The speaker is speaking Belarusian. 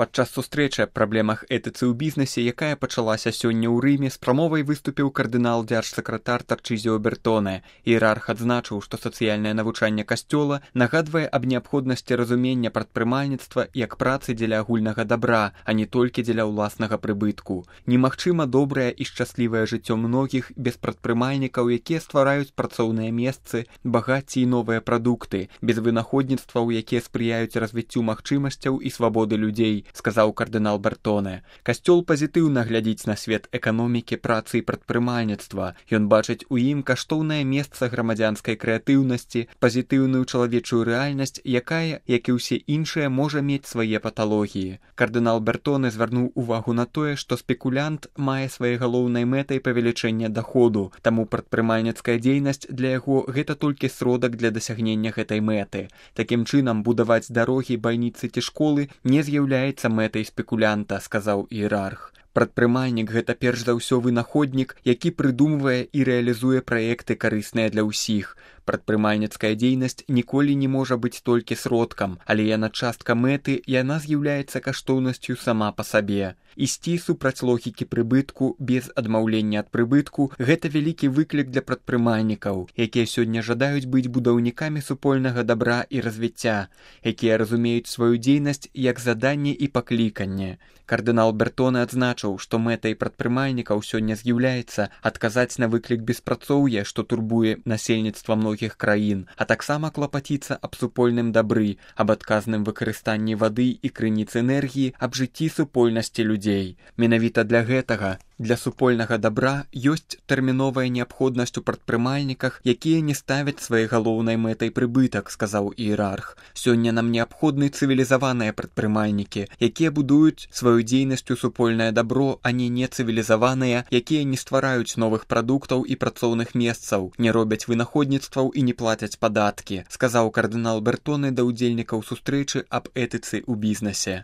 Падчас сустрэчы аб праблемах этыцы ў бізнесе, якая пачалася сёння ў Рыме, з прамовай выступіў кардынал дзяржсакратар Тарчызіо Бертоне. Іерарх адзначыў, што сацыяльнае навучанне касцёла нагадвае аб неабходнасці разумення прадпрымальніцтва як працы дзеля агульнага дабра, а не толькі дзеля ўласнага прыбытку. Немагчыма добрае і шчаслівае жыццё многіх без прадпрымальнікаў, якія ствараюць працоўныя месцы, багацце і новыя прадукты, без вынаходніцтваў, якія спрыяюць развіццю магчымасцяў і свабоды людзей, сказаў кардынал Бертоне. Касцёл пазітыўна глядзіць на свет эканомікі, працы і прадпрымальніцтва. Ён бачыць у ім каштоўнае месца грамадзянскай крэатыўнасці, пазітыўную чалавечую рэальнасць, якая, як і ўсе іншыя, можа мець свае паталогіі. Кардынал Бертоне звярнуў увагу на тое, што спекулянт мае сваёй галоўнай мэтай павелічэнне даходу, таму прадпрымальніцкая дзейнасць для яго гэта толькі сродак для дасягнення гэтай мэты. Такім чынам, будаваць дарогі, бальніцы ці школы не з'яўляецца мэтай спекулянта, сказаў іерарх. Прадпрымальнік – гэта перш за ўсё вынаходнік, які прыдумвае і рэалізуе праекты карысныя для ўсіх. Прадпрымальніцкая дзейнасць ніколі не можа быць толькі сродкам, але яна частка мэты, яна з'яўляецца каштоўнасцю сама па сабе. Ісці супраць логікі прыбытку без адмаўлення ад прыбытку – гэта вялікі выклік для прадпрымальнікаў, якія сёння жадаюць быць будаўнікамі супольнага дабра і развіцця, якія разумеюць сваю дзейнасць як заданне і пакліканне. Кардынал Бертоне адзначыў, што мэтай прадпрымальнікаў сёння з'яўляецца адказаць на выклік беспрацоўя, што турбуе насельніцтва многіх краін, а таксама клапаціцца аб супольным дабры, аб адказным выкарыстанні вады і крыніц энергіі, аб жыцці супольнасці людзей. Менавіта для гэтага, для супольнага дабра, ёсць тэрміновая неабходнасць у прадпрымальніках, якія не ставяць сваёй галоўнай мэтай прыбытак, сказаў іерарх. Сёння нам неабходны цывілізаваныя прадпрымальнікі, якія будуюць сваю дзейнасцю супольнае дабро, а не нецывілізаваныя, якія не ствараюць новых прадуктаў і працоўных месцаў, не робяць вынаходніцтваў і не плацяць падаткі, сказаў кардынал Бертоне да ўдзельнікаў сустрэчы аб этыцы ў бізнесе.